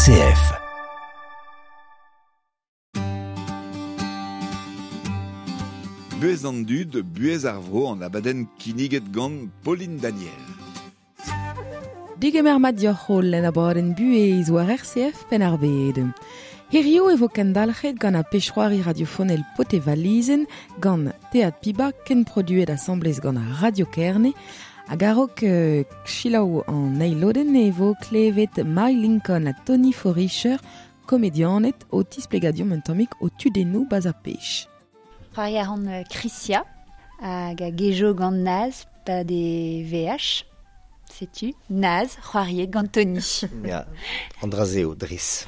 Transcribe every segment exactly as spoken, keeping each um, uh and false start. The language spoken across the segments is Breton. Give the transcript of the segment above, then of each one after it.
R C F. Buez an dud, buez ar vro an abadenn kinniget gant Pauline Daniel. Digemer mat dioc'h holl en abadenn buez war R C F Penn-ar-Bed. Hirio e vo kendalc'het gant a pechroari radiofonel pote valizen gant Teat Piba ken produet asamblez gant ar Radio Kerne hag a-raok euh, chilaou an eilodenn e vo klevet Mai Lincoln ha Tony Foricher, komedianet o tisplegadiom un tammig o tudennoù baz ar pech. C'hoari a ran Chrisia hag a gejo gant Naz pa de V H. Setu, Naz, c'hoariet gant Tony. Ya, an dra-se eo, dres.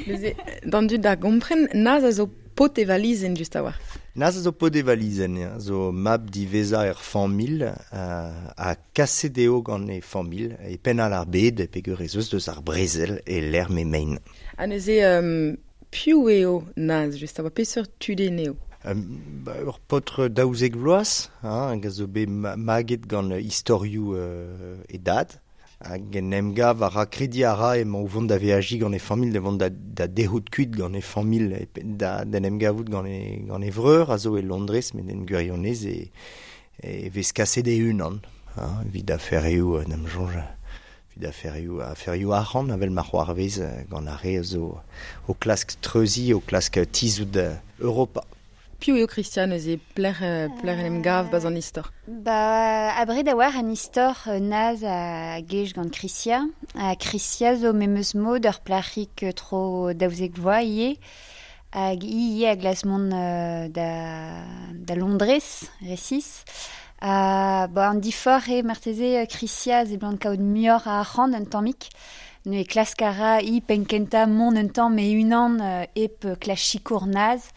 Neuze, d'an dud da gompren, Naz a zo pot e valizenn just a-walc'h. Naz a zo pot e valizenn, ya, zo mab diveza er familh, euh, a kaset eo gant e familh, e penn al ar bed, peogwir ez eus deus ar brezel e lec'h me mein. Ha neuze, euh, piv eo Naz, just a-walc'h, peseurt tudenn eo? Euh, ba, ur paotr daouzek vloaz, hein, hag a zo bet ma-, maget gant istorioù, euh, e dad, hag en em gav a ra kredi a ra emañ o vont da veajiñ gant e familh, da vont da, da derc'hout kuit gant e familh, e pe-, da, d'en em gavout gant e, gant e vreur a zo e Londrez, met en gwirionez e, e vez kaset e-unan, hein, evit aferioù, en em soñj, evit aferioù, aferioù arc'hant, avel ma c'hoarvez, gant ar re a zo o klask treuzi, o klask tizout Europa. Piv eo Christian neuze, pler, euh, pler en em gav baz an istor? Ba, abred a war an istor, euh, Naz a gej gant Chrisia. Ha Chrisia zo memeus mod ur plac'hig tro daouzek vloaz ivez. Hag hi ivez a glas mont, euh, da, da Londrez, resis. Ha, ba, an difor eo marteze, euh, Chrisia ze blant kaout muioc'h a arc'hant un tammig. Ne klask a ra hi penkenta mont un tamm e unan, euh, hep klask sikour Naz.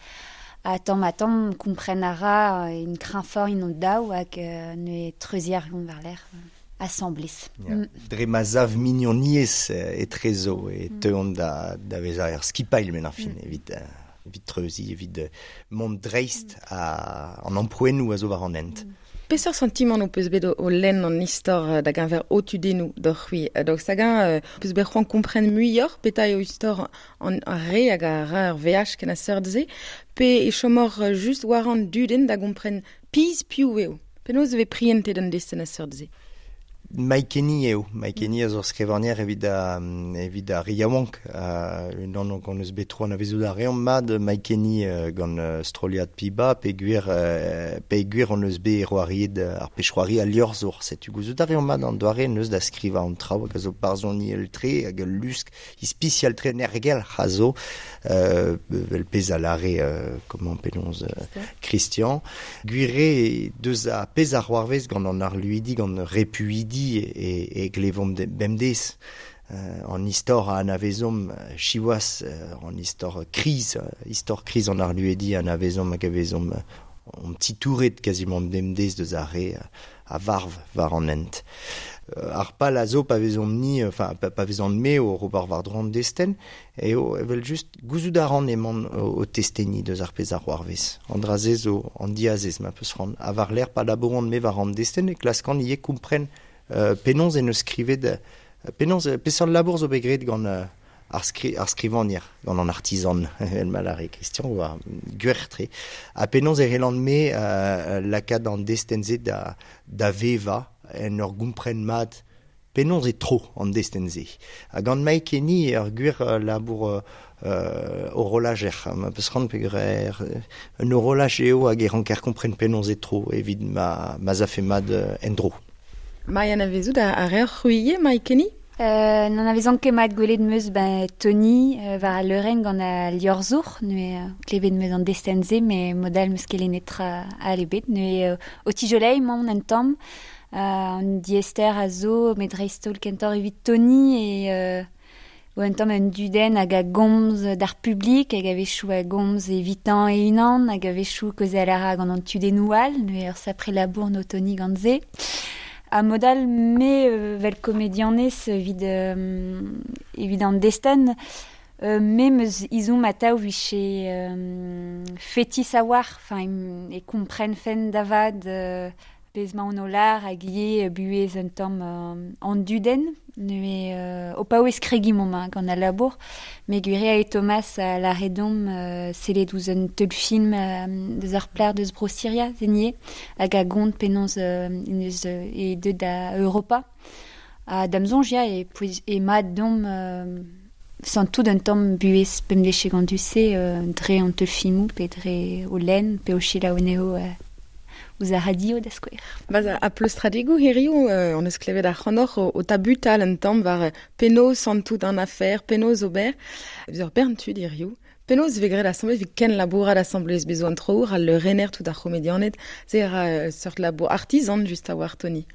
A tamm a tamm kompren a ra, euh, in kreñfort in o daou hag, euh, ne treuzi ar gant war lec'h, euh, asamblez. Ya. Mm. Dre ma zav mignoniez, euh, etrezo e Mm. teuont da, da vezañ er skipailh men ar fin, Mm. evit, euh, evit treuzi, evit, euh, mont dreist a, an amprouennoù a zo war an hent. Mm. Peseurt sentiment ho peus bet o, o lenn an istor, euh, da geñver o tudennoù d'hor c'hwi? Euh, donc sagan, euh, peus bet c'hoant kompren muioc'h petra eo istor an, ar re hag ar ra ar V H ken a seurt se, pe e chomor, euh, just war an dudenn da gompren piz piv eo? Penaos e vez prientet an destenn a seurt se? Mai Kenny eo. Mai Kenny a zo skrivagner evit a, evit ar yaouank. Uh, unan gant eus bet tro anavezout ar reomp mat Mai Kenny, euh, gant, euh, stroliad Piba, peogwir, euh, peogwir on eus bet c'hoariet ar pechroari a liorzhour. Setu gouzout ar reomp mat an doare neus da skrivañ an traoù hag a zo barzhoni el tre hag ul lusk ispisial tre nergel a zo, euh, vel pezh a lare, euh, comment penaos, euh, Christian. Gwir deus a pezh ar c'hoarvez gant an arluidi, gant repuidi e, e glevomp de, bemdez. Euh, an istor a anavezomp, euh, siwazh, euh, an istor kriz, euh, istor kriz an arluedi a anavezomp hag a vezomp, euh, on petit touret quasiment bemdez deus ar re, euh, a varv war an hent. Euh, ar pal a zo pa vezomp ni, enfin, pa, pa vezomp me o Robert war dro an destenn, eo evel just gouzout a ran emañ o, o testeni deus ar pezh ar c'hoarvez. An dra-se zo an diazez ma peus c'hoant. Ha war lec'h pa labouront me war an destenn e klaskan ivez kompren, euh, penaos en eus skrivet, euh, penaos, euh, peseurt labour zo bet graet gant, euh, ar skri-, ar skrivagner, gant an artizan, evel ma lare Christian, oa gwir-tre. Ha penaos e relan me, euh, lakaat an destenn-se da, da veva en ur gompren mat penaos e tro an destenn-se. Ha gant Mai Kenny ur gwir, euh, labour, euh, euh, horolager, ma peus c'hoant peogwir er, un horolaj eo hag e ranker kompren penaos e tro evit ma, ma zafe mat, euh, en-dro. Mai anavezout a, a reoc'h c'hwi ivez, Mai Kenny? Euh, n'en avezan ket mat gwelet meus, ben, Tony, euh, war al leurenn gant al liorzhour, neuze, euh, klevet meus an destenn-se, met modal meus ket lennet tra a lebet, neuze, euh, o tijolei mañ an tamm, euh, an diester a zo, met dreist-holl kentoc'h evit Tony, e, euh, o un tamm un dudenn hag a gomz d'ar publik, hag a wechoù a gomz evitan e unan, hag a wechoù kaozeal a ra gant an tudennoù all, neuze ur sapre labour no Tony gant se. A modal me, euh, vel komedianez evit, euh, evit an destenn, euh, me meus izomp atav viche, euh, fetis a war, enfin, im, e kompren fen davad, euh, Pez ma on o lar hag ivez buhez un tamm euh, an dudenn, neuze euh, o paouez kregi mom gant al labour, me gwire e Thomas a la redom euh, sellet ouzh un teul film euh, deus ar plar deus bro Syria, zenie, hag a gont penaos euh, neus euh, e deut da Europa. A damzonj ya e, e mat dom euh, santout un tamm buhez pemdeche gant du-se euh, dre an teul filmoù pe dre o lenn pe o selaou anezho euh, ouzh ar radio da skouer. Baz a pleustradegoù hirio, euh, on eus klevet ar c'hanoc'h o, o tabutal un tamm war penaos santout an afer, penaos ober. Eus ur bern tud hirio. Penaos vez graet asamblez, vez ken labourat asamblez bezo an trour, al rener tout ar c'homedianed, se ra euh, seurt labour artisan just a war Tony.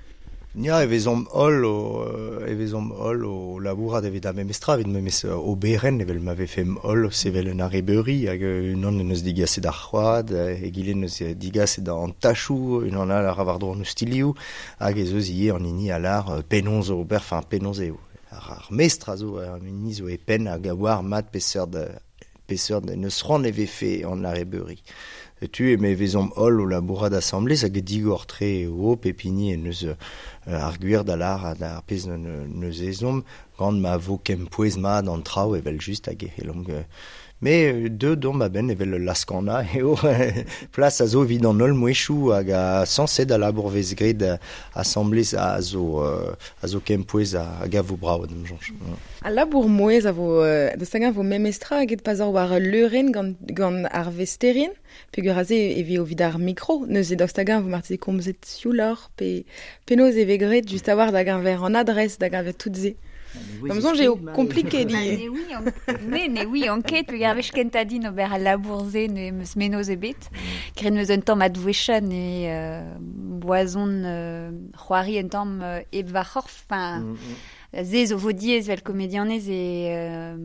Ya, e vezomp holl o, e vezomp holl o labourat evit a memestra, evit memes oberen, evel ma vefem holl o sevel un arrebeuri, hag unan en eus digaset ar c'hoad, egile en eus digaset an tachou, unan all ar war dro an eus hag ez eus ivez an hini a lar penaos ober, enfin penaos eo. Ar, ar mestr a zo, an hini zo e penn hag a war mat peseurt peseurt neus c'hoant e vefe an arrebeuri. Tu e me vezomp holl o labourat asamblez hag digor tre eo pepini en eus euh, ar gwir da lar ar pezh neus ezomp gant ma vo kempouez mat an traoù evel just hag e c'hellomp Me deux dom a-benn evel laskana eo plas a zo evit an holl mouezhioù hag a sañset a labour vez graet asamblez a zo a zo kempouez hag a vo brav d'am soñj. A labour mouezh a vo da stagañ vo memestra hag et pas ur war leurenn gant gant ar vesterien peogwir aze e vi o vid ar mikro neuze da stagañ vo marteze komzet siouloc'h pe penaos e vez graet just a war da geñver an adres da geñver tout se. Da'm soñj eo kompliket ivez. Ne oui, ne, ne oui, anket, peogwir ar wech kentañ din ober al labour-se ne meus menoz ebet. Graet meus un tamm advouecha ne euh, boazon euh, c'hoari un tamm euh, hep va c'horf, enfin, mm -hmm. se zo vo diaes vel komedianez e euh,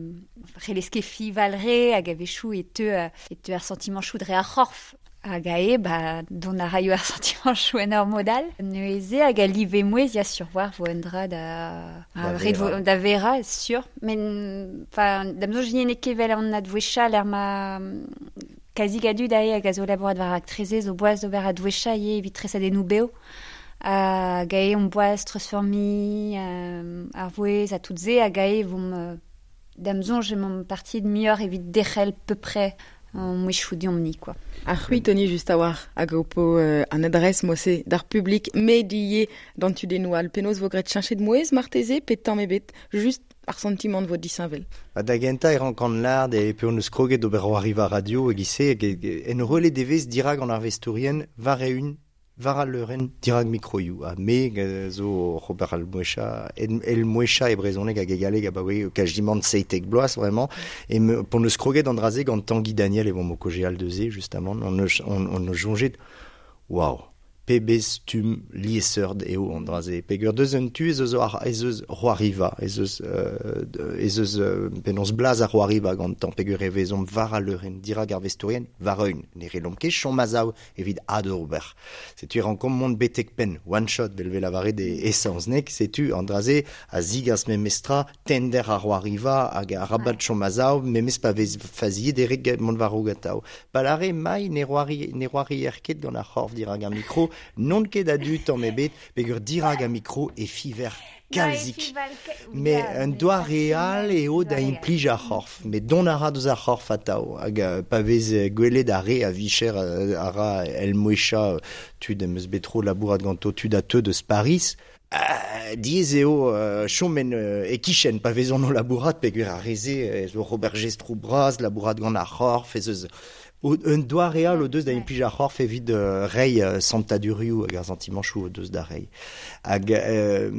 c'hellez ket fival re hag a-wechoù e teu, e teu ar sentiment chou dre ar c'horf. Hag a e, ba, dont a raio ar sentiment chou en ur modal. Neuze hag a live mouez ya sur war vo un dra da... Da vera. Da vera, sur. Men, enfin, da'm soñj n'eo ket vel an advouecha l'er ma... Kazi gadu da e hag a zo labourat war ak treze zo boaz d'ober advouecha ivez evit tresadennoù bev. Hag a e on boaz treuzfeurmiñ euh, ar vouez a tout se hag a e vom... Da'm soñj emaomp parti de muioc'h evit derc'hel peu près an mouezhioù deomp-ni, quoi. Ar c'hwi, Tony, just a war, hag ho po euh, an adres mose d'ar publik medier d'an tudennoù all. Penaos vo graet cheñchet mouezh marteze pe tamm ebet, just ar sentiment vo disheñvel. Ba da gentañ e rankan lard e pe on eus kroget d'ober c'hoariva radio hag ise hag en relais devez dirak an arvestourien war eeun war al leurenn dirak mikroioù. Ha me zo Robert al Mouecha, el Mouecha e brezhoneg hag e galleg abaoe kajimant seitek bloaz vraiment. E me, p'on eus kroget an dra-se gant Tanguy Daniel e vomp o kaozeal deus justement, on eus on, on eus soñjet, waouh, pebezh stumm liesseurt eo an dra-se. Peogwir deus un tu ez eus ar, ez eus c'hoariva, ez eus euh, ez eus euh, penaos blaz ar c'hoariva gantañ, peogwir e vezomp war al leurenn, dirak ar vestourien, war eeun, ne c'hellomp ket chom a-sav evit adober. Setu e rankomp mont betek penn, one shot, vel vel lavaret e e-saozneg, setu an dra-se a zigas memestra tender ar c'hoariva hag arabat chom a-sav, memes pa vez faziet erek mont war-raok atav. Palare mai ne c'hoari ne c'hoarier ket gant ar c'horf dirak ar mikro, non ket a du tamm ebet, peogwir dirak ar mikro e fiver kalzik. Mais un doa real eo da implij ar c'horf. Mais don a ra deus ar c'horf atav. Hag pa vez gwelet ar re a vicher a ra el mouecha tud em eus bet tro labourat ganto tud a teu deus Paris. Uh, diaes eo uh, chom en uh, e kichen pa vezont o labourat peogwir ar re-se zo Robert Gestrou bras labourat gant ar c'horf ez eus un doa real o deus da implij ar c'horf evit uh, reiñ uh, santadurioù hag ar santimanchoù o deus da reiñ. Hag euh,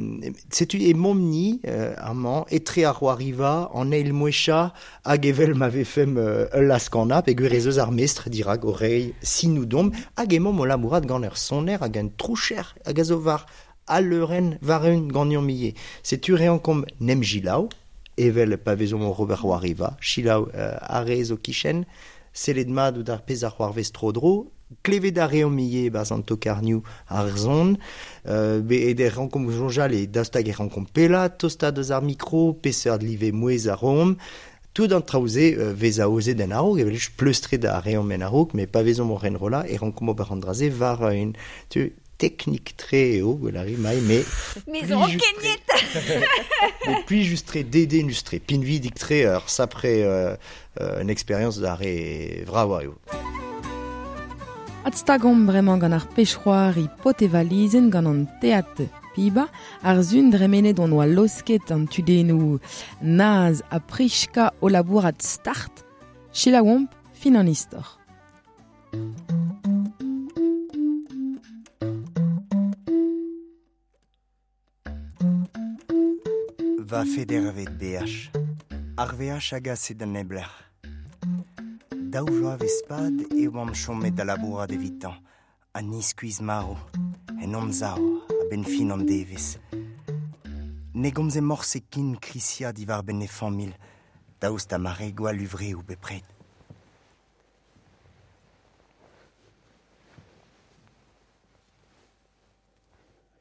setu e momp-ni euh, amañ etre ar c'hoariva an eil mouecha hag evel ma vefemp euh, ul laskana peogwir ez eus ar mestr dirak o reiñ sinoù domp hag emaomp o labourat gant ur soner hag un troucher hag a zo war al leurenn war eeun ganeomp ivez. Setu reankomp nem jilaou, evel pa vezomp o Robert c'hoariva, chilaou euh, ar re zo kichen, sellet mat out ar pezh ar c'hoarvez tro-dro, klevet ar reomp ivez e-barzh an tokarnioù ar zon, euh, be e der rankomp soñjal e daoust hag e rankomp pellaat tostaat deus ar mikro, peseurt live mouezh a roomp, tout an traoù-se euh, vez aozet en a-raok, evel just pleustret ar reomp en a-raok, met pa vezomp o renrollañ e rankomp ober an dra-se war un... Tu, Teknik tre eo, gwelari mai, me... Me zo kenyet. Me pli just tre dedennus tre, pinvidik tre ur sapre euh, euh, un expérience da re vraoa eo. Adstagomp bremañ gant ar pech-c'hoari pot e valizenn gant an teat piba, ar zun dremenet on oa losket an tudennoù naz ha prichka o labourat start, selaouomp fin an istor. Va federvet B H. Ar V H hag ase d'an ebler. Daou vloaz vez pad e oamp chomet da labourat evitañ, ha ni skuizh maro, en hon sav, a-benn fin an devezh. Ne gomze morse kin Krisia diwar benn e familh, daoust ha ma re gwall uvreoù bepred.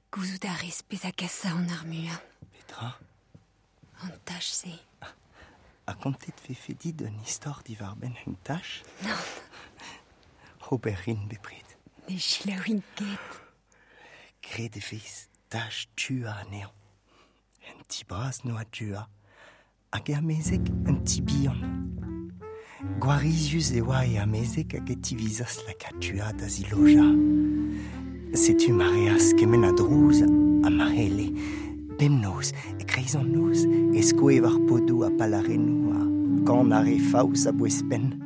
Gouzout a rez pezh a gasa an ar muiañ. Petra? An tach-se. A kontet vefe dit un istor diwar benn un tach? Non. Ober rin bepred. Ne selaouin ket. Gret e vez tach tua anezhañ. Un ti bras noa tua. Hag e amezeg un ti bihan. Gwarizius e oa e amezeg hag e tivizas lakaat tua da ziloja. Setu ma reas kement a drouz ha ma c'helle. Bemnoz, e kreiz an noz, e skoe war podoù ha palarennoù ha gant ar re faos a bouez penn.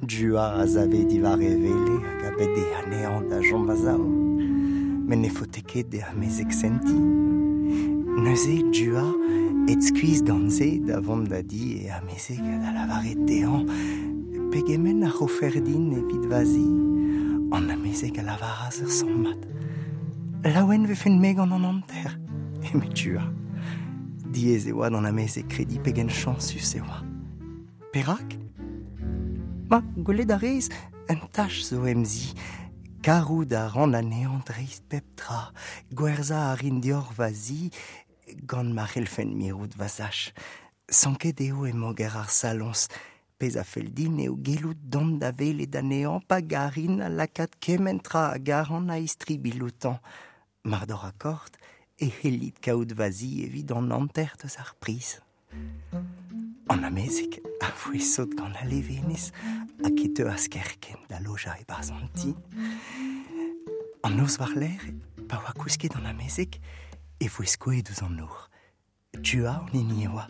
Dua a zave diwar e wele hag a bede anezhañ da chom va-sav. Met ne faote ket d'e amezeg sentiñ. Neuze Dua et skuizh gant se da vont da di e amezeg da lavaret dezhañ pegement a rofer din evit va zi. An amezeg a lavaras ur sammad. Laouen vefen me gant an hanter. Eme Dua. Diaes e oa d'an amezeg krediñ pegen chañsus e oa. Perak? Ma, gwelet a rez, un tach zo em zi. Karout a ran anezhañ dreist pep tra. Gwerzhañ a rin deoc'h va zi gant ma c'hellfen mirout va sach. Sanket eo e moger ar saloñs. Pezh a fell din eo gellout dont da welet anezhañ pa garin a lakaat kement tra a garan a istribilh outañ. Mar d'hor akord, e c'hellit kaout va zi evit an hanter deus ar priz. An amezeg a voe sot gant al levenez hag e teuas kerkent da lojañ e-barzh an ti. An noz war-lerc'h, pa oa kousket an amezeg, e voe skoet ouzh an nor. Tua an hini e oa.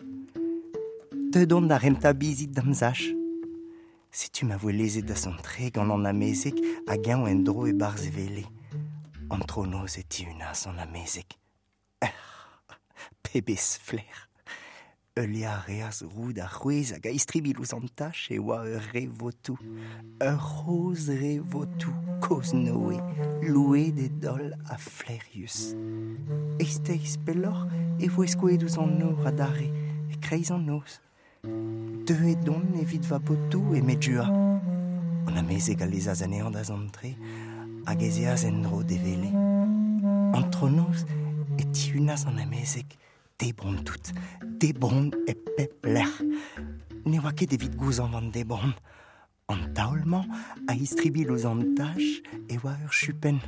Deut on da rentañ bizit d'am sach. Setu ma voe lezet da zont-tre gant an amezeg hag eñ en-dro e-barzh e wele. An tronoz e tihunas an amezeg. Pebezh flaer. Heuliañ a reas roud ar c'hwezh hag a istribilh ouzh an tach e oa ur re votoù. Ur c'hozh re votoù, kozh Noe, louet e daol ha flaerius. Eizhteiz pelloc'h e voe skoet ouzh an nor adarre, e kreiz an noz. Deuet on evit va botoù eme Dua. An amezeg a lezas anezhañ da zont-tre hag ez eas en-dro d'e wele. Antronoz e tihunas an amezeg. Debron tout, debron e pep lec'h. Ne oa ket evit gouzañv an debron. An taol-mañ a istribilh ouzh an tach e oa ur chupenn.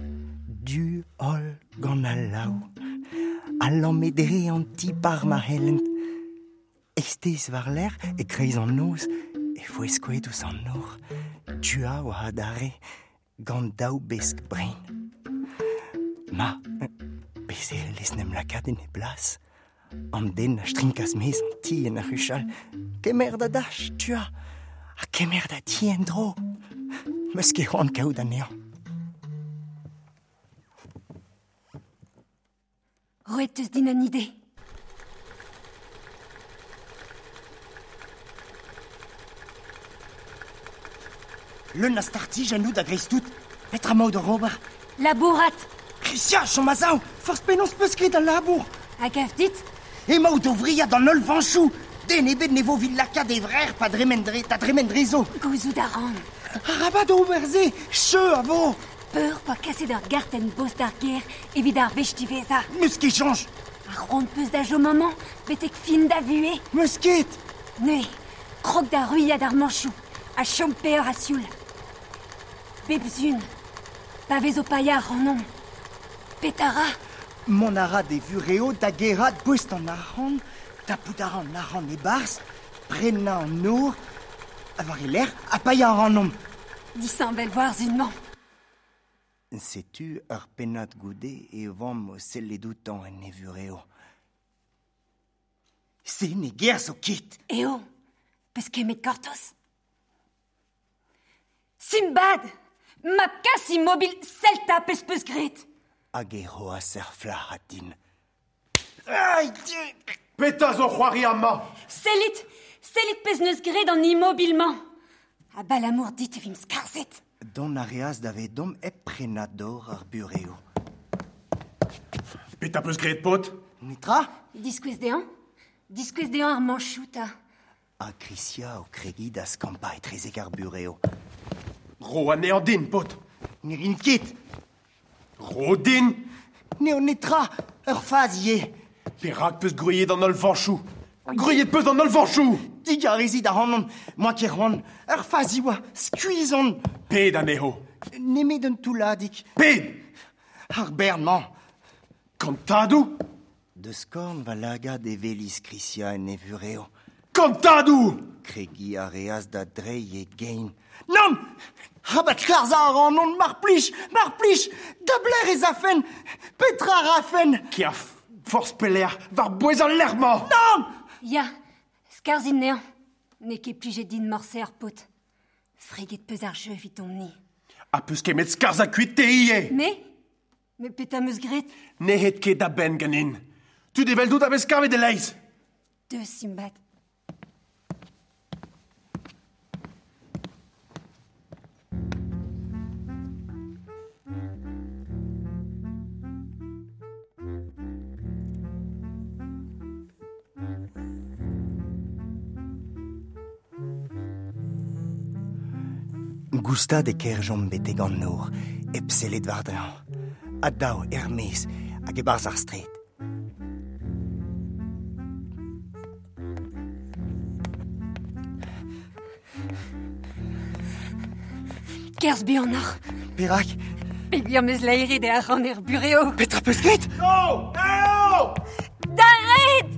Du holl gant al laou. A lamme dre an ti par ma c'hellent. Eizhteiz war-lerc'h e kreiz an noz e voe skoet ouzh an nor. Tua oa adarre gant daou besk brein. Ma, bez e lez n'em lakaat en e blas. An den a strinkas mez an ti en ar c'huchal. Kemer da dach, Tua, ha kemer da ti en-dro. Meus ket c'hoant kaout anezhañ. Roet eus din an ide. Leun a startij an out a greiz tout. Petra maout d'or ober? Labourat. Krisia, chom a-sav, forzh penaos peus ket al labour. Hag gav dit? Emaout o wriat an holl vañchoù. Den ebet ne vo evit lakaat e vrec'h pa dremen dre, da dremen drezo. Gouzout a ran. Arabat ober se, cheu a vo. Peur pa kaset ur gartenn bost ar gêr evit ar wech diwezhañ. Meus ket soñj. Ar c'hoant peus da chom amañ, betek fin da vuhez. Meus ket. Neuze, krog da ruilhat ar mañchoù, ha chom peoc'h ha sioul. Bep sun, pa vez o paeañ ac'hanomp, Petara? Mont a ra de vureo da gerat boest an arc'hant, tapout a ra an arc'hant e-barzh, prenañ an nor, a war e lerc'h ha paeañ a rannomp. Disheñvel war zun-mañ. Setu ur pennad goude e vamm o sellet outañ en e vureo. Se ne gerzho ket. Eo, peus ket met gortoz. Simbad! Mab kas immobil Celta peus peus graet. Hag e roas ar flac'had din. Ai, Petra zo c'hoari amañ? Sellit! Sellit pezh neus graet an immobil-mañ. Abalamour dit e vimp skarzhet. Dont a reas davedomp hep prenañ dor ar bureo. Petra peus graet, paotr? Netra? Diskouez dezhañ. Diskouez dezhañ ar mañchoù 'ta. Ha Krisia o kregiñ da skampañ etrezek ar bureo. Ro anezhañ din, paotr. Ne rin ket. Ro din. N'eo netra, ur fazi eo. Perak peus gwriet an holl vañchoù? Gwriet peus an holl vañchoù! Digarezit ac'hanon, moa ket c'hoant. Ur fazi oa, skuizh on. Ped anezho? Nemet un toulladig. Ped? Ar bern-mañ. Kantadoù? Deus korn va lagad e welis Krisia en e vureo. Kantadoù! Kregiñ a reas da dreiñ e gein. Nann! Rabat skarzhañ a ran mar plij, mar plij! Da belec'h ez afen? Petra a rafen? Kea forzh pelec'h war bouez al lec'h-mañ! Nann! Ya, skarzhin anezhañ. N'eo ket plijet din morse ar paotr. Freget peus ar jeu evidomp-ni. Ha peus ket met skarzhañ kuit te ivez? Me? Me petra 'm eus graet? N'eo ket da benn ganin. Tud eveldout a vez kavet e-leizh. Deus, Simbad. Goustad e kerzhjomp betek an nor, hep sellet war-dreñv. Ha daou er-maez hag e-barzh ar straed. Kerzh buanoc'h. Perak? Peogwir 'm eus laeret e arc'hant er bureo. Petra peus graet? Oh! Oh! D'ar red!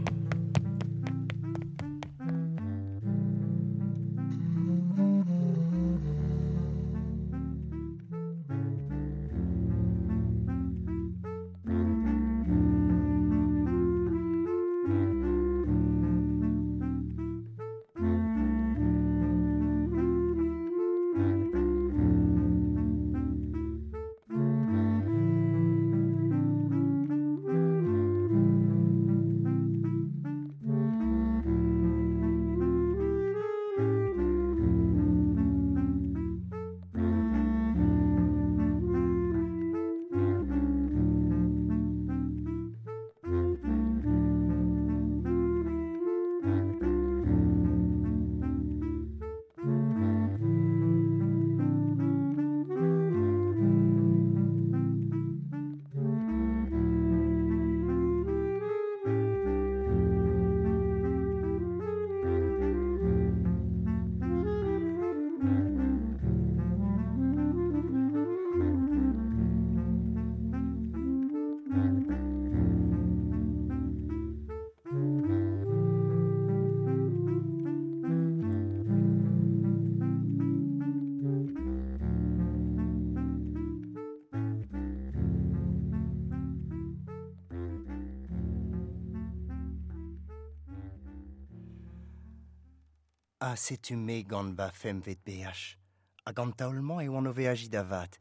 Ha setu me gant va femvet beaj. Hag an taol-mañ e oan o veajiñ da vat.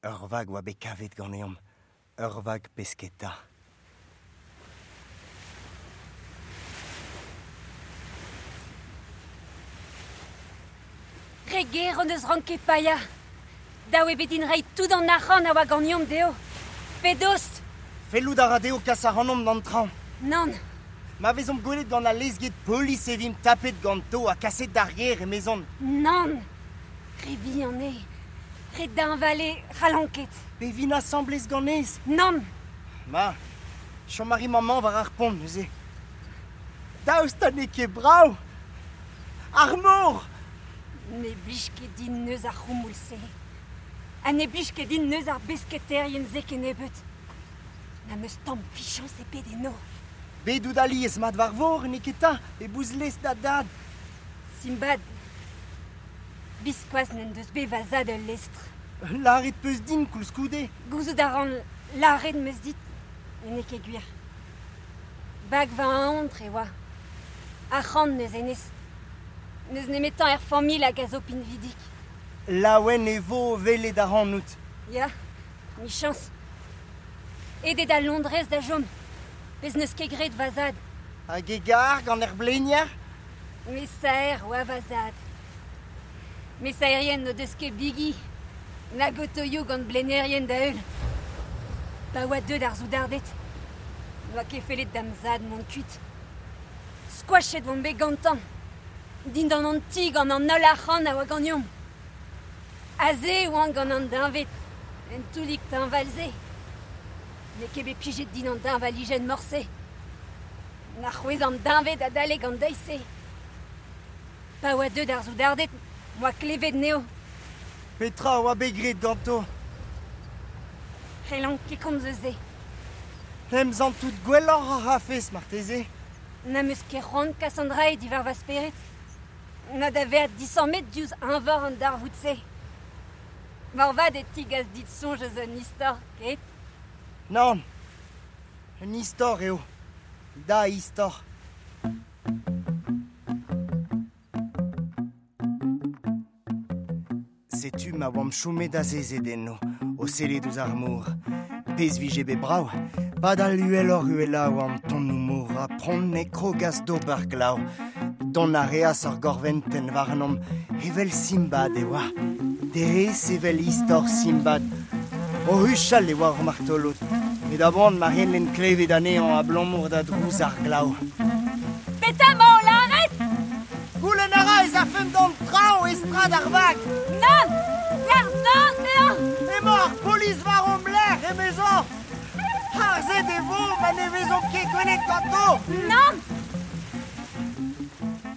Ur vag oa bet kavet ganeomp. Ur vag pesketa. Re ger hon eus ranket paeañ. Dav eo bet din reiñ tout an arc'hant a oa ganeomp dezho. Pedost! Fellout a ra dezho kas ac'hanomp d'an traoñ. Nann. Ma vezomp gwelet gant al lezged polis e vimp tapet ganto ha kaset d'ar gêr emezon. Nann. Re vihan eo. Re deñval eo, c'hallan ket. Pe vin asambles ganez? Nann. Ma, chom a ri maman war ar pont neuze. Daoust ha n'eo ket brav? Ar mor! Ne blij ket din neuz ar c'houmoul-se. Ha ne blij ket din neuz ar besketerien-se kennebeut. Na meus tamm fichañs ebet eno. Bet out alies mat war vor, n'eo ket ta, e bouz lez da dad. Simbad, biskoazh n'en deus bet va zad ul lestr. Lâret peus din koulskoude. Gouzout a ran lâret meus dit, met n'eo ket gwir. Bag va eontr e oa. Arc'hant neus hennezh. N'eus nemetañ er familh hag a zo pinvidik. Laouen e vo o welet ac'hanout. Ya, michañs. Aet eo da Londrez da chom. Pezh n'eus ket graet va zad. Hag e gar gant ar blenier? Mesaer oa va zad. Mesaerien n'o deus ket bigi. Nag otoioù gant blenerien da heul. Pa oa deuet ar soudarded. N'oa ket fellet da'm zad mont kuit. Skoachet oan bet gantañ. Dindan an ti gant an holl arc'hant a oa ganeomp. Aze e oan gant an deñved, en toullig teñval-se. N'eo ket bet plijet din an deñvalijenn morse. Na c'hwezh an deñved adalek an deiz-se. Pa oa deuet ar soudarded, m'oa klevet anezho. Petra a oa bet graet ganto? C'hellan ket komz eus se. Em santout gwelloc'h a rafez marteze. N'am eus ket c'hoant kas an dra diwar va spered. Na da vezañ disammet diouzh eñvor an darvoud-se. Moarvat e tigas dit soñj eus un istor, ket? Nann, un istor eo. Da istor. Setu ma oamp chomet azezet eno, o sellet ouzh ar mor. Pezh vije bet brav, padal uheloc'h uhelañ oa an tonnoù-mor ha pront e krogas d'ober glav. Dont a reas ar gorventenn warnomp, evel Simbad e oa. Derez evel istor Simbad. O huchal e oa ar martolod, met a-boan ma c'hellen klevet anezhañ abalamour da drouz ar glav. Petra emañ o lâret? Goulenn a ra ez afemp d'an traoñ e strad ar vag. Nann! Lâr nann dezhañ! Emañ ar polis war hom lerc'h, emezañ! Harzet e vo ma ne vezomp ket gwelet ganto! Nann!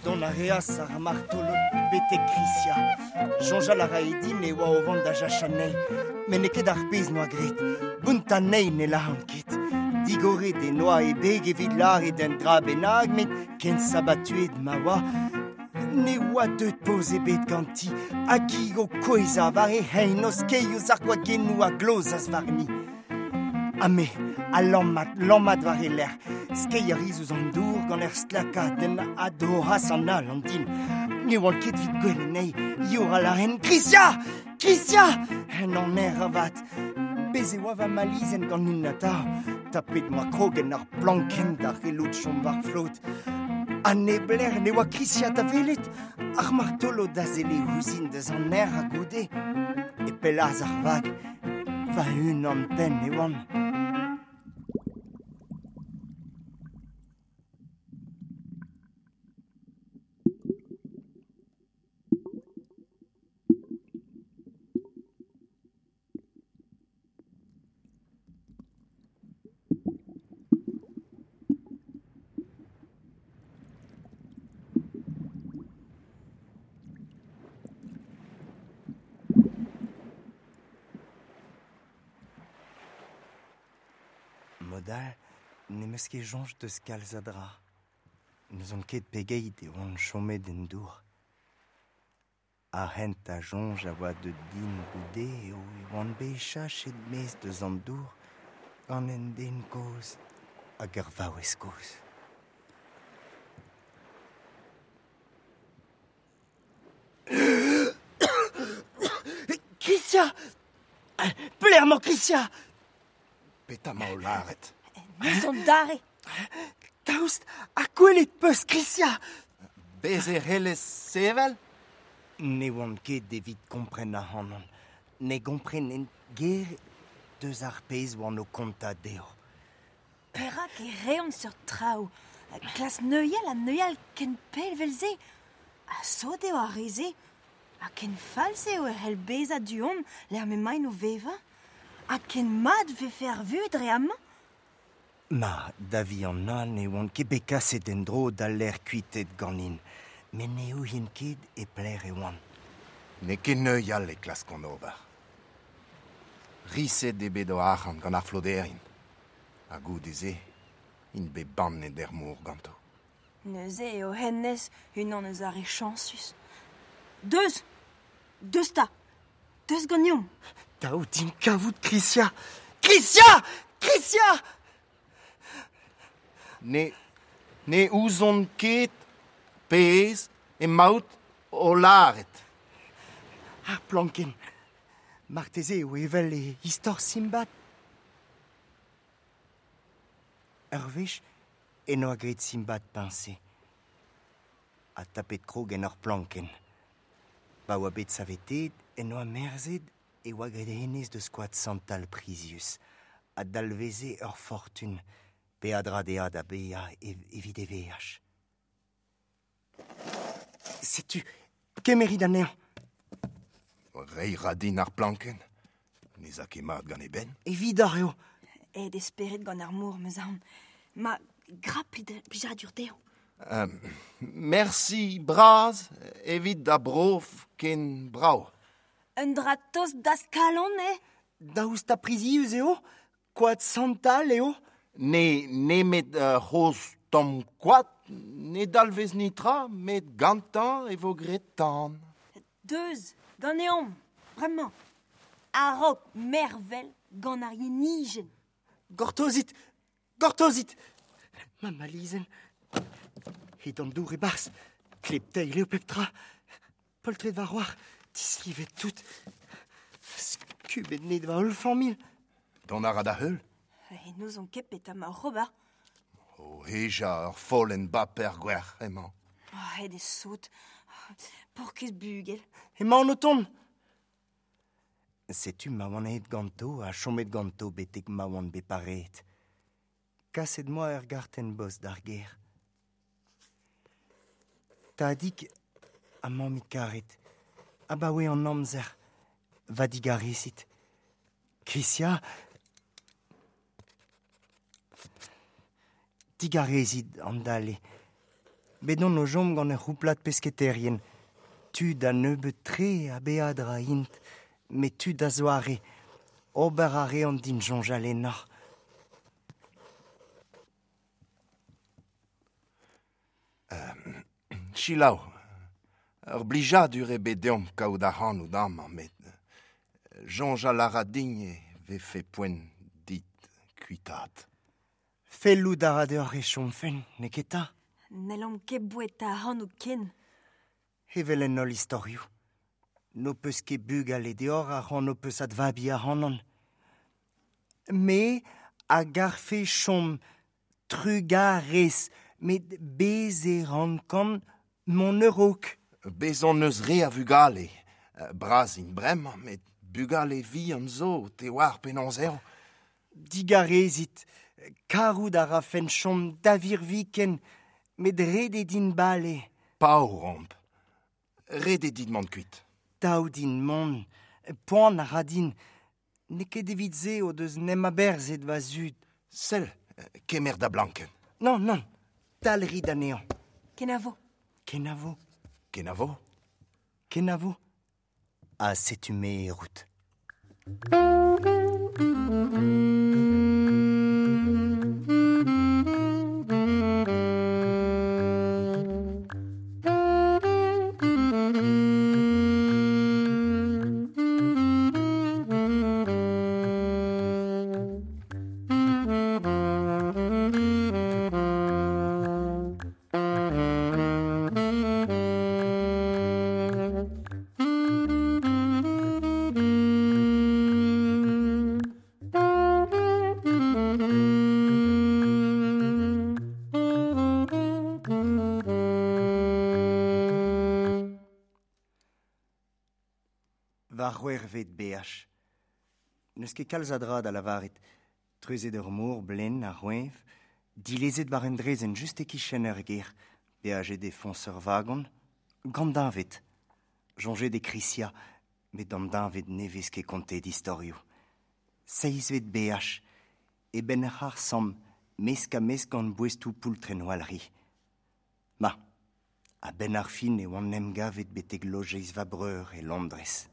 Dont a reas ar martolod betek Krysia. Soñjal a rae din e oa o vont da jachañ anezhi, met n'eo ket ar pezh n'oa graet. Bountañ anezhi ne lâran ket. Digoret e noa e beg evit lâret un dra bennak, met ken sabatuet ma oa, ne oa deuet poz ebet ganti, hag hi o kouezhañ war he c'hein o skeiñ ouzh ar gwagennoù a glozas warni. Ha me, a lammat, lammat war he lerc'h, skeiñ a ris ouzh an dour gant ur stlakadenn a dorras an all an din. Ne oan ket evit gwell anezhi, youc'hal a lâren Krysia! Krysia! En aner avat. Bez' e oa va malizenn ganin atav. Tapet m'oa krog en ur plankenn da c'hellout chom war flot. Ha neblec'h ne oa Krysia da welet, ar martolod a selle ouzhin deus an aer ha goude. E pellaas ar vag, va-unan penn e oan. Modal, n'em eus ket soñj deus kalz a dra. N'ouzon ket pegeit e oan chomet en dour. Ar hent a soñj a oa deut din goude eo e oan bet chachet maez deus an dour gant un den kozh hag ur vaouez kozh. Krysia! Pelec'h emañ Krysia? Petra emañ o lâret? N'eus dare. Daoust ha gwelet peus Krysia? Bez' e c'hellez sevel? Ne oan ket evit kompren ac'hanon. Ne gomprenen ger deus ar pezh oan o kontañ dezho. Perak e reont seurt traoù? Klas neuial ha neuial ken pell evel-se. Ha sot eo ar re-se. Ha ken falz eo e c'hell bezañ du-hont lec'h m'emaint o vevañ. Ha ken mat vefe ar vuhez dre amañ? Ma, da vihanañ ne oan ket bet kaset en-dro d'al lec'h kuitet ganin. Met ne ouien ket e pelec'h e oan. N'eo ket neuial e klaskont ober. Riset eo bet o arc'hant gant ar floderien. Ha goude-se, int bet bannet er mor ganto. Neuze eo hennezh unan eus ar re chañsus. Deus ! Deus ta ! Deus ganeomp ! Daou din kavout Krysia ! Krysia ! Krysia ! Ne, ne ouzon ket pezh emaout o lâret. Ar planken. Marteze eo evel e istor Simbad. Ur wech eno a graet Simbad peñse. Ha tapet krog en ur planken. Pa oa bet savetet en oa merzet e oa graet hennezh deus koad santal prizius. Ha dalveze ur fortun peadra dezhañ da baeañ evit e veaj. Setu, kemerit anezhañ. Reiñ ra din ar planken. Ne za ket mat gant e benn. Evidoc'h eo. Aet e spered gant ar mor, meus aon. Ma gra plijadur dezhañ. Euh, merci bras evit da brof ken brav. Un dra tost d'az kalon, eh? Daoust ha prizius eo? Koad santal eo? Ne nemet ur c'hozh tamm koad ne dalvez netra, met gantañ e vo graet tan. Deus, ganeomp, bremañ. A-raok mervel gant ar yenijenn. Gortozit ! Gortozit ! Ma malizenn. Het an dour e-barzh. Klep-teil eo pep tra. Poltred va c'hoar, dislivet tout. Skubet net va holl familh. Dont a ra da heul ? E n'ouzon ket petra ma oc'h ober. O hejañ ur follenn baper gwerc'h emañ. Oh, aet eo sot. Paourkaezh bugel. Emaon o tont. Setu ma oan aet ganto ha chomet ganto betek ma oan bet pareet. Kaset moa ur gartenn-bost d'ar gêr. Tadig ha mammig karet, abaoe an amzer, va digarezit. Krysia, digarezit an dale. Bet on o chom gant ur c'houplad pesketerien. Tud a nebeut-tre a beadra int, met tud a zoare. Ober a reont din soñjal ennoc'h. Euh, Selaou, ur blijadur eo bet deomp kaout ac'hanout amañ, met soñjal a ra din e vefe poent dit kuitaat. Fellout a ra deoc'h e chomfen, n'eo ket 'ta ? N'hellomp ket boueta ac'hanout ken. Evel en holl istorioù. N'ho peus ket bugale deoc'h a c'hoant ho peus advabiñ ac'hanon. Me a garfe chom trugarez, met bez e rankan mont a-raok. Bez hon eus re a vugale. Bras int bremañ, met bugale vihan zo, te oar penaos eo. Digarezit, karout a rafen chom da virviken, met ret eo din bale. Paour omp. Ret eo dit mont kuit. Dav din mont, poan a ra din. N'eo ket evit se o deus n'em aberzhet va zud. Sell, kemer da blankenn. Non, non, talrit anezhañ. Kenavo. Kenavo. Kenavo. Kenavo. Ha setu me e rout. Va c'hwec'hvet beaj. N'eus ket kalz a dra da lavaret. Treuzet ur mor blen a roeñv, dilezet war un draezhenn just e-kichen ur gêr, beajet e foñs ur vagon, gant deñved. Soñjet e Krysia, met d'an deñved ne vez ket kontet istorioù. Seizhvet beaj, e benn ar c'harr-samm, mesk-ha-mesk gant boestoù poultrenn walc'hi. Ma, a-benn ar fin e oan em gavet betek lojeiz va breur e Londrez.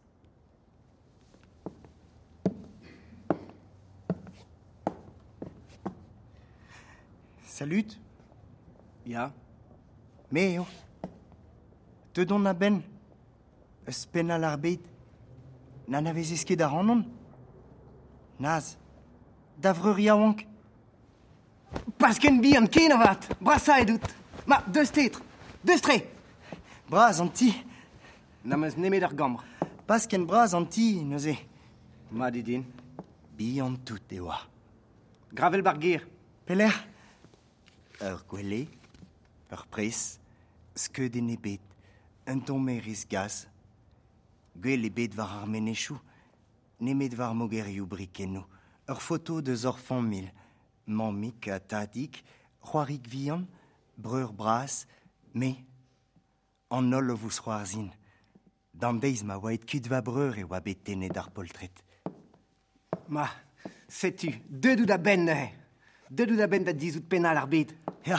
Salut. Ya. Me eo. Te don a ben. Eus pennal ar bed. N'anavezez ket ar anon. Naz. Da vreur yaouank. Pas ken bihan ken avat. Brasa edout. Ma, deus tetr. Deus tre. Bras an ti. N'am eus nemet ar gambr. Pas ken bras an ti, neuze. Ma didin. Bihan tout e oa. Gravel bar ger. Pelec'h. Ur gwele, ur pres, skeuden ebet, un tommerez gaz. Gwell ebet war ar menechou, nemet war mogerioù brikennoù. Ur foto deus ur familh, mammig ha tadig, c'hoarig vihan, breur bras, me, an holl o vous c'hoarzhin. D'an deiz ma oa et kuit va breur e oa bet tennet ar poltred. Ma, setu, deut out a benn neuze. Deut out a benn da dizout pennal ar bed. Ya,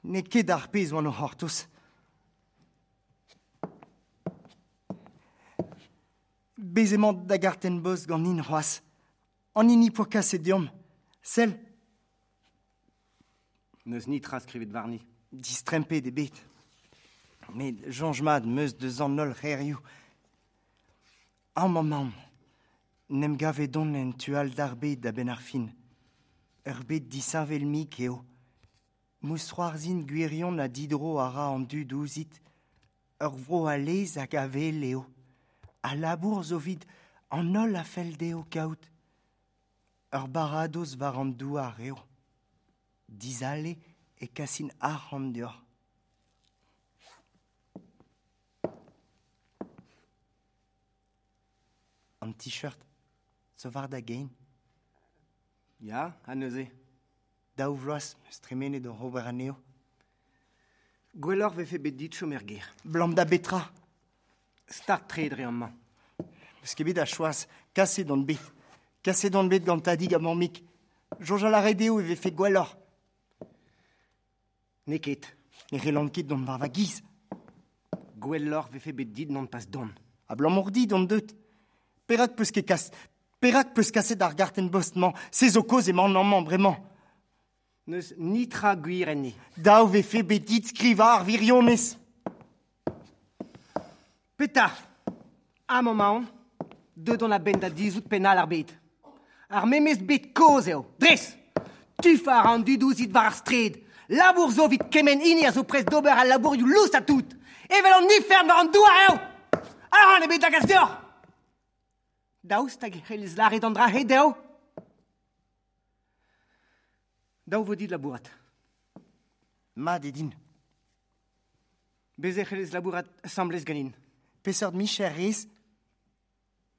n'eo ket ar pezh oan o c'hortoz. Bez emañ da gartenn bost gant in c'hoazh. An hini poa kaset deomp. Sell. N'eus nitra skrivet warni. Distrempet eo bet. Met soñj mat 'm eus deus an holl c'herioù. Amañ mamm. N'em gavet don en tu all d'ar bed da benn ar fin. Ur bed disheñvel-mik eo. Mousc'hoarzhin gwirion a didro a ra an dud ouzhit. Ur vro a-lez hag a-wel eo. A labour zo 'vit an holl a fell dezho kaout. Ur baradoz war an douar eo. Dizale e kasin arc'hant deoc'h. An t-shirt zo war da gein. Ya, ha neuze. Daou vloaz 'm eus tremenet oc'h ober anezho. Gwelloc'h vefe bet dit chom er gêr. Blam da betra. Start tre dre amañ. N'eus ket bet a choaz. Kaset on bet. Kaset on bet gant tadig ha mammig. Soñjal a rae dezho e vefe gwelloc'h. N'eo ket. Ne c'hellan ket dont war va giz. Gwelloc'h vefe bet dit non pas dont. Abalamour dit on deut. Perak peus ket kas... Perak peus kaset ar gartenn bost-mañ. Se zo kaoz emañ amañ bremañ. N'eus nitra gwir enni. Dav vefe bet dit skrivañ ar wirionez. Petra. Amañ 'maon, deut on a-benn da dizout pennal ar bed. Ar memes bed kozh eo. Dres. Tufañ a ra an dud ouzhit war ar straed. Labour zo 'vit kement hini a zo prest d'ober al labourioù lous ha tout. Evel an ifern war an douar eo. Arc'hant ebet da gas deoc'h. Daoust hag e c'hellez lâret an dra-se dezho? Dav vo dit labourat. Mat eo din. Bez e c'hellez labourat asambles ganin. Peseurt micher rez?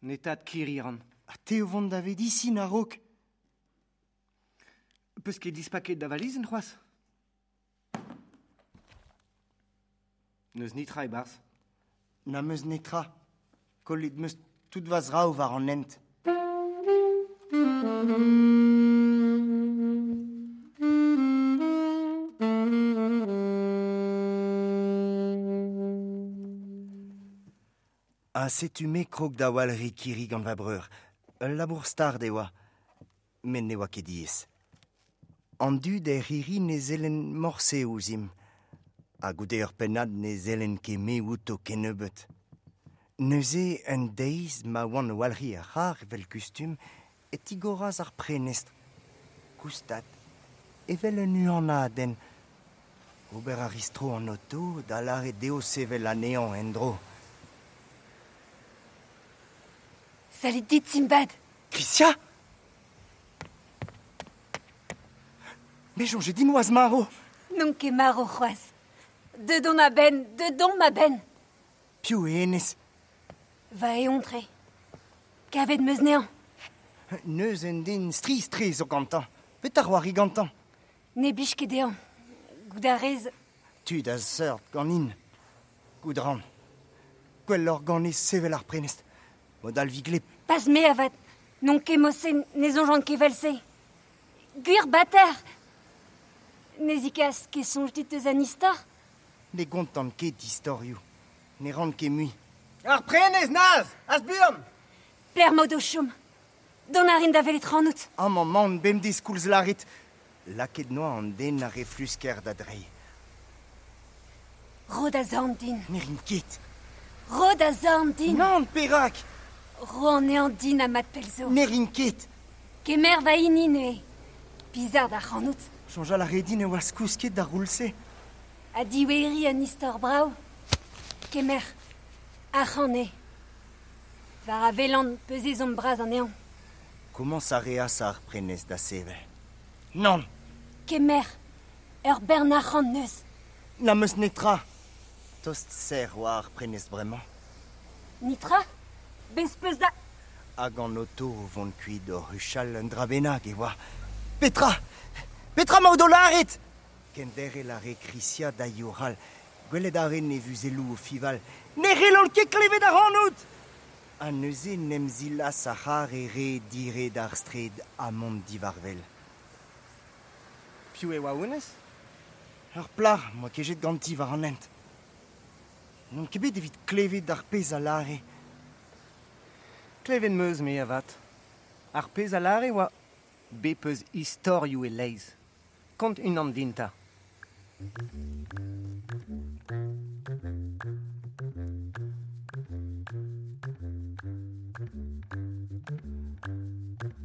Netat kirri ran. Ha te o vont da vedisin a-raok. Peus ket dispaket da valizenn c'hoazh? N'eus nitra e-barzh. N'am eus netra. Kollet 'm eus tout va zraoù war an hent. Ha setu me krog da walc'hiñ kirri gant va breur. Ul labour start e oa. Met ne oa ket diaes. An dud er c'hirri ne sellen morse ouzhimp. Ha goude ur pennad ne sellen ket me outo kennebeut. Neuze un deiz ma oan o walc'hiñ ar c'harr evel kustum e tigoras ar prenestr. Goustad, evel un uhanadenn. Ober a ris tro an oto da lâret dezho sevel anezhañ en-dro. Salut dit, Simbad. Krysia? Me soñje din oas marv. N'on ket marv c'hoazh. Deut on a-benn, deut on ma-benn. Piv eo hennezh? Va eontr eo. Kavet 'm eus anezhañ. Neus un den strizh-tre zo gantañ. Petra c'hoari gantañ? Ne blij ket dezhañ. Goût a rez. Tud a seurt ganin. Goût ran. Gwelloc'h ganez sevel ar prenestr. Mod all vi gleb. Pas me avat. N'on ket mosse, ne soñjan ket evel-se. Gwir bater. Ne zikas ket soñj dit eus an istor? Ne gontan ket istorioù. Ne ran ket mui. Ar prenestr, Naz! Az buan! Pelec'h 'maout o chom. Dont a rin da welet ac'hanout. Amañ 'maon bemdez koulz lâret. Laket noa an den a reflusker da drei. Ro da zorn din. Ne rin ket. Ro da zorn din. Nann, perak. Ro an ean din a mat pelzo. Ne rin ket. Kemer va hini neuze. Bizarre da c'hanout. Soñjal a redin e oas kousket da roulse. A diweri un istor brav. Kemer. Ar c'han eo. War a velan peuzez omp bras an ean. Komañs a reas ar prenez da sevel. Nann. Kemer. Ur bern arc'hant neus. Na meus netra. Tost serr oa ar prenez bremañ. Nitra? Bez peus da... Hag an oto o vont kuit o huchal un dra bennak e oa. Petra! Petra ma o do lâret! Kenderc'hel a re Krisia da youc'hal. Gwelet a ren e vuzelloù o fival. Ne c'hellont ket klevet ac'hanout! Ha neuze n'em zilas ar c'har e re dire d'ar straed ha mont divarvel. Piv e oa honnezh? Ur plac'h moa kejet ganti war an hent. N'on ket bet evit klevet ar pezh a lâre. Klevet 'm eus me avat. Ar pezh a lâre oa bep eus istorioù e-leizh. Kont unan din 'ta.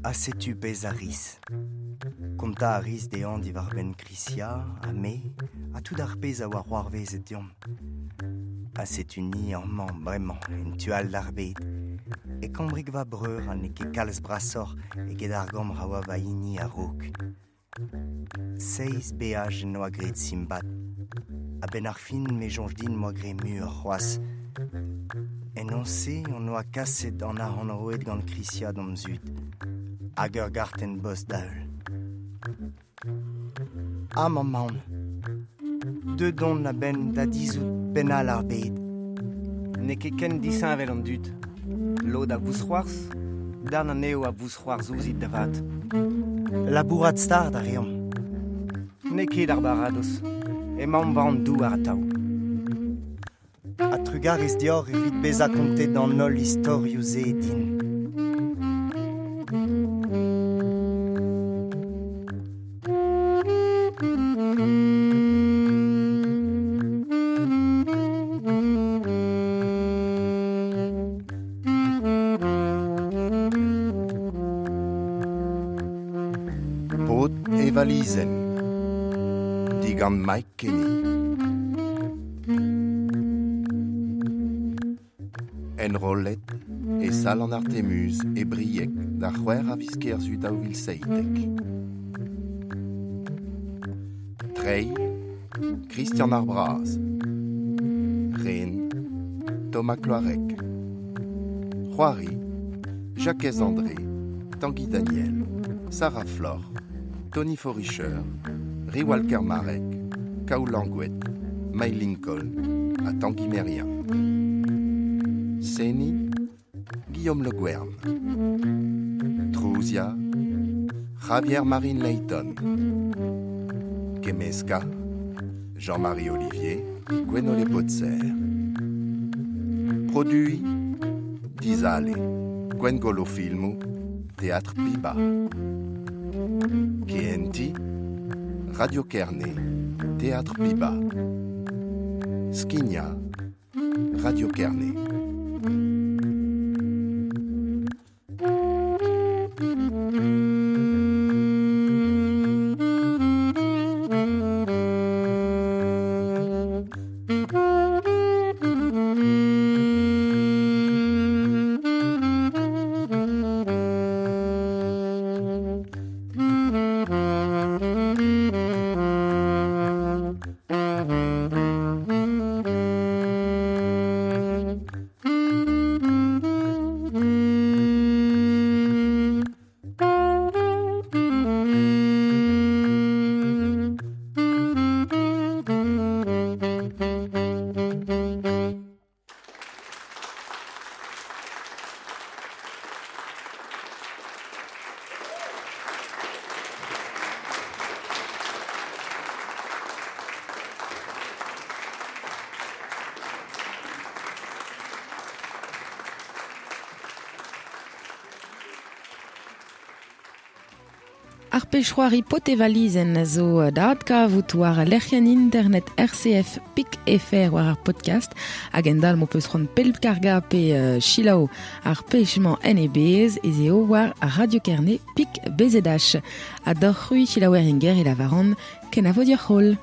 Ha setu pezh a ris. Kontañ a ris dezhañ diwar-benn Krisia, ha me, ha tout ar pezh a oa c'hoarvezet deomp. Ha setu ni amañ bremañ, en tu all d'ar bed. E kambrig va breur ha n'eo ket kalz brasoc'h eget ar gambr a oa va hini a-raok. Seizh beaj en doa graet Simbad. A-benn ar fin me soñj din 'moa graet muioc'h c'hoazh. En noz-se on oa kaset an arc'hant roet gant Krisia d'hom zud. Hag ur gartenn bost da heul. Amañ 'maon. Deuet on a-benn da dizhout penn all ar bed. N'eo ket ken disheñvel an dud. Lod a vousc'hoarzh, darn anezho a vousc'hoarzh ouzhit da vat. Labourat start a reomp. N'eo ket ar baradoz. Emaomp war an douar atav. Ha trugarez deoc'h evit bezañ kontet an holl istorioù-se din. Paotr e valizenn. Digant Mike Kenny. Enrollet e sal an Artemuz e Brieg da c'hwec'h a viz Kerzu daou vil seitek. Treiñ, Christian Ar Braz. Ren, Thomas Cloarec. C'hoari, Jacques André, Tanguy Daniel, Sarah Flor, Tony Foricheur, Riwal Kermarek, Kaou Langouet, May Lincoln ha Tanguy Merien. Seni, Guillaume Le Guern. Trouzia, Javier Marine Layton. Kemeska, Jean-Marie Olivier, Gwenole Potser. Produit, Dizale, Gwengolo Filmoù, Théâtre Piba. K N T, Radio Kerne, Théâtre Piba. Skignañ, Radio Kerne. Ar pechroari potevalizen a zo da adkavout war lec'hienn internet R C F pik F R war ar podcast hag endal mo peus c'hoant pelkarga pe uh, chilaou ar pechmañ en e bez ez eo war Radio Kerne pik B Z H. A d'hor c'hui chilaouer enger e lavaran kenavo dioc'h holl.